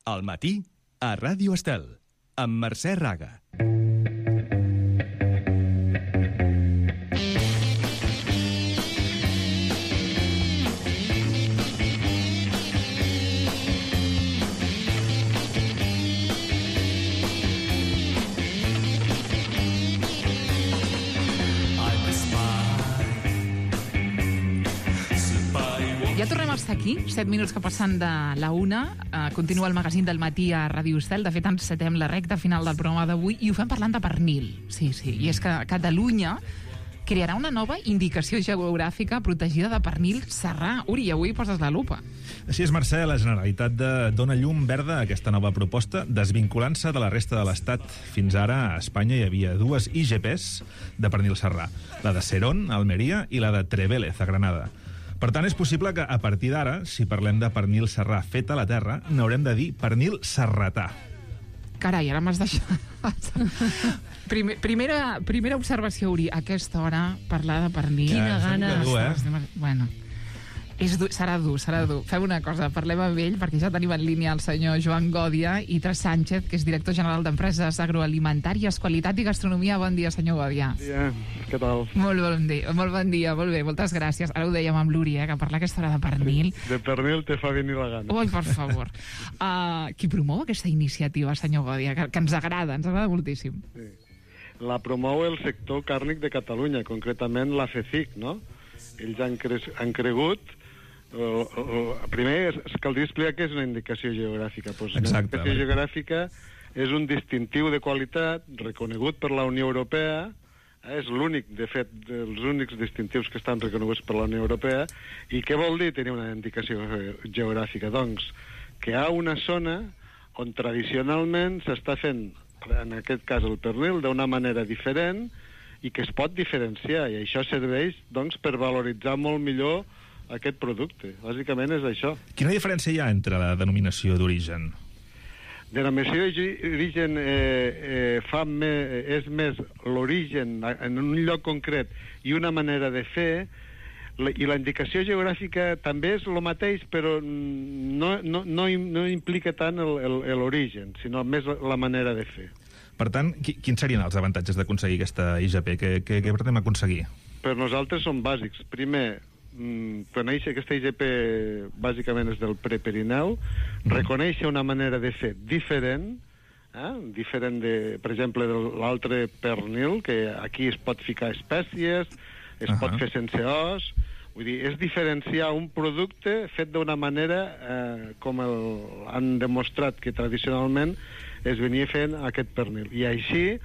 Al matí, a Ràdio Estel, amb Mercè Raga. Ja tornem a estar aquí, 7 minuts que passen de la 1. Continua el magazín del matí a Ràdio Estel. De fet, encetem la recta final del programa d'avui i ho fem parlant de pernil. Sí, i és que Catalunya crearà una nova indicació geogràfica protegida de pernil serrà. Uri, avui poses la lupa. Així és, Mercè, la Generalitat dona llum verda a aquesta nova proposta, desvinculant-se de la resta de l'Estat. Fins ara, a Espanya hi havia dues IGPs de pernil serrà, la de Serón, a Almeria, i la de Trevélez, a Granada. Per tant, és possible que, a partir d'ara, si parlem de pernil serrà fet a la terra, n'haurem de dir pernil serratà. Carai, ara m'has deixat... Primera observació, Uri. A aquesta hora, parlar de pernil... Quina gana. Bueno, serà dur. Fem una cosa, parlem amb ell, perquè ja tenim en línia el senyor Joan Gòdia i Tres Sánchez, que és director general d'Empreses Agroalimentàries, Qualitat i Gastronomia. Bon dia, senyor Gòdia. Bon dia, què tal? Molt bon dia, molt bé, moltes gràcies. Ara ho dèiem amb l'Uri, que parlar aquesta hora de pernil... De pernil te fa venir la gana. Ui, per favor. Qui promou aquesta iniciativa, senyor Gòdia? Que ens agrada moltíssim. Sí. La promou el sector càrnic de Catalunya, concretament la FECIC, no? Ells han cregut... primer, caldria explicar què és una indicació geogràfica. Pues una indicació geogràfica és un distintiu de qualitat reconegut per la Unió Europea, és l'únic, de fet, dels únics distintius que estan reconeguts per la Unió Europea. I què vol dir tenir una indicació geogràfica? Doncs que hi ha una zona on tradicionalment s'està fent, en aquest cas el pernil, d'una manera diferent i que es pot diferenciar, i això serveix doncs, per valoritzar molt millor aquest producte. Bàsicament és això. Quina diferència hi ha entre la denominació d'origen? Denominació d'origen és més l'origen en un lloc concret i una manera de fer, i la indicació geogràfica també és el mateix, però no implica tant l'origen, sinó més la manera de fer. Per tant, quins serien els avantatges d'aconseguir aquesta IGP? Què pretenem aconseguir? Per nosaltres són bàsics. Primer, conèixer aquesta IGP bàsicament és del Prepirineu, reconèixer una manera de fer diferent, diferent de, per exemple, de l'altre pernil, que aquí es pot ficar espècies, es pot fer sense os, vull dir, és diferenciar un producte fet d'una manera com han demostrat que tradicionalment es venia fent aquest pernil, i així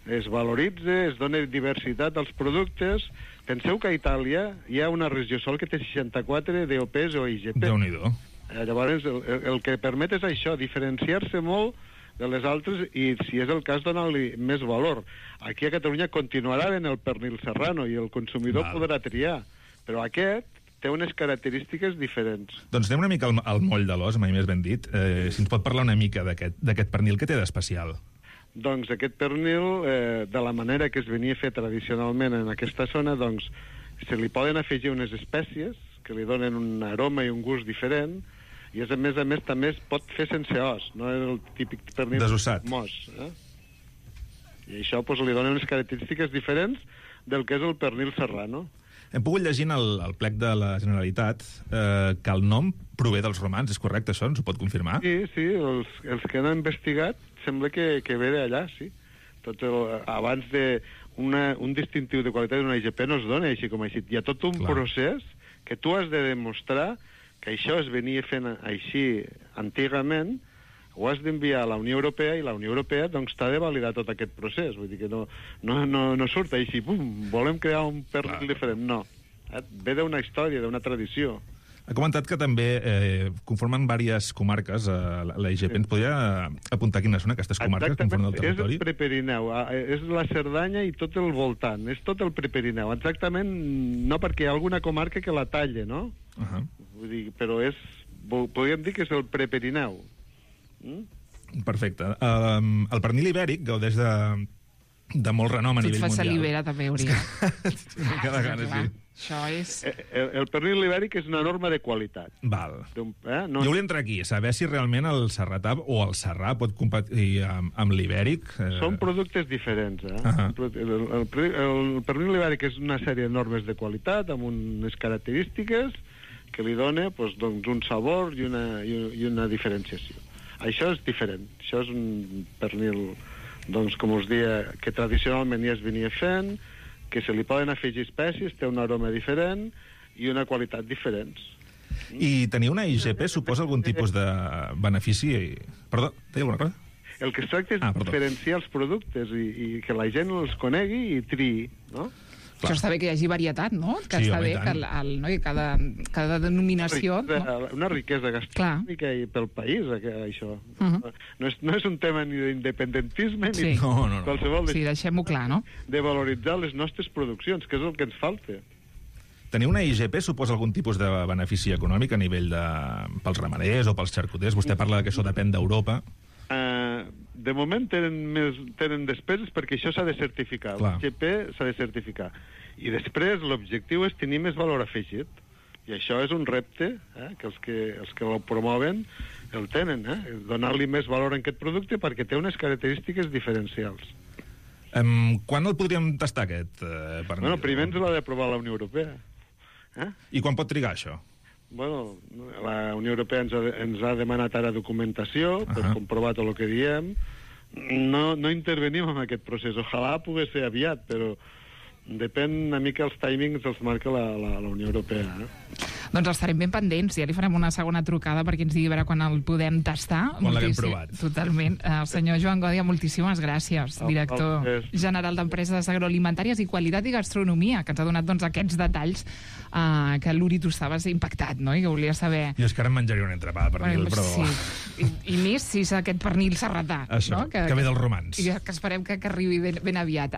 es valoritza, es dona diversitat als productes. Penseu que a Itàlia hi ha una regió sol que té 64 DOPs o IGP. Déu-n'hi-do. Llavors, el que permet és això, diferenciar-se molt de les altres i, si és el cas, donar-li més valor. Aquí a Catalunya continuarà en el pernil serrano i el consumidor podrà triar, però aquest té unes característiques diferents. Doncs anem una mica al moll de l'os, mai més ben dit. Si ens pot parlar una mica d'aquest pernil, què té d'especial? Doncs aquest pernil, de la manera que es venia a fer tradicionalment en aquesta zona, doncs se li poden afegir unes espècies que li donen un aroma i un gust diferent, i a més també es pot fer sense os, no és el típic pernil desossat, mos. I això li dona unes característiques diferents del que és el pernil serrano. Hem pogut llegir en el plec de la Generalitat que el nom prové dels romans, és correcte això? Ens ho pot confirmar? Sí, els que han investigat sembla que ve d'allà, sí. Abans d'un distintiu de qualitat d'una IGP no es dona així com així. Hi ha tot un procés que tu has de demostrar que això es venia fent així antigament, ho has d'enviar a la Unió Europea, i la Unió Europea doncs t'ha de validar tot aquest procés. Vull dir que no surt així, pum, volem crear un pernil diferent. No, ve d'una història, d'una tradició. Ha comentat que també conformen diverses comarques la IGP. Ens podria apuntar quines són aquestes comarques que conformen el territori? És el Prepirineu, és la Cerdanya i tot el voltant, és tot el Prepirineu. Exactament, no perquè hi ha alguna comarca que la talla, no? Vull dir, però podríem dir que és el Prepirineu. Perfecte. El pernil ibèric gaudeix de molt renom a Tu et nivell fas mundial. salivera, també, hauria. Cada gana, sí. Això és... El pernil ibèric és una norma de qualitat. Val. No, Jo volia entrar aquí, saber si realment el serratà o el serrà pot competir amb l'ibèric. Són productes diferents. El pernil ibèric és una sèrie de normes de qualitat amb unes característiques que li dona doncs, un sabor i una diferenciació. Això és diferent. Això és un pernil, doncs, com us deia, que tradicionalment ja es venia fent, que se li poden afegir espècies, té un aroma diferent i una qualitat diferents. I tenir una IGP suposa algun tipus de benefici? Perdó, deia alguna cosa? El que es tracta és diferenciar els productes i que la gent els conegui i triï, no? Clar. Això està bé que hi hagi varietat, no? Que sí, està home, bé que cada denominació... Una riquesa gastronòmica i pel país, això. No és un tema ni d'independentisme ni qualsevol... Sí, deixem-ho clar, no? De valoritzar les nostres produccions, que és el que ens falta. Tenir una IGP suposa algun tipus de benefici econòmic a nivell pels ramaders o pels xarcuters? Vostè parla que això depèn d'Europa. De moment tenen despeses perquè això s'ha de certificar. L'IGP s'ha de certificar. I després l'objectiu és tenir més valor afegit. I això és un repte que els que el promoven el tenen. Donar-li més valor a aquest producte perquè té unes característiques diferencials. Quan el podríem tastar, aquest pernil? Bueno, primer ens l'ha d'aprovar la Unió Europea. I quan pot trigar, això? Bueno, la Unió Europea ens ha demanat ara documentació per comprovar tot el que diem. No intervenim en aquest procés. Ojalà pogués ser aviat, però depèn una mica els timings els marca la Unió Europea. Doncs estarem ben pendents. Ja li farem una segona trucada perquè ens digui a veure quan el podem tastar. Quan l'haguem provat. Totalment. El senyor Joan Gòdia, moltíssimes gràcies. Director general d'Empreses Agroalimentàries i Qualitat i Gastronomia, que ens ha donat aquests detalls que l'Uri tu estaves impactat, no? I que volia saber... Jo és que ara em menjaria un entrepà de pernil, però... Sí. I més si és aquest pernil serratà. Això, que ve dels romans. I que esperem que arribi ben aviat.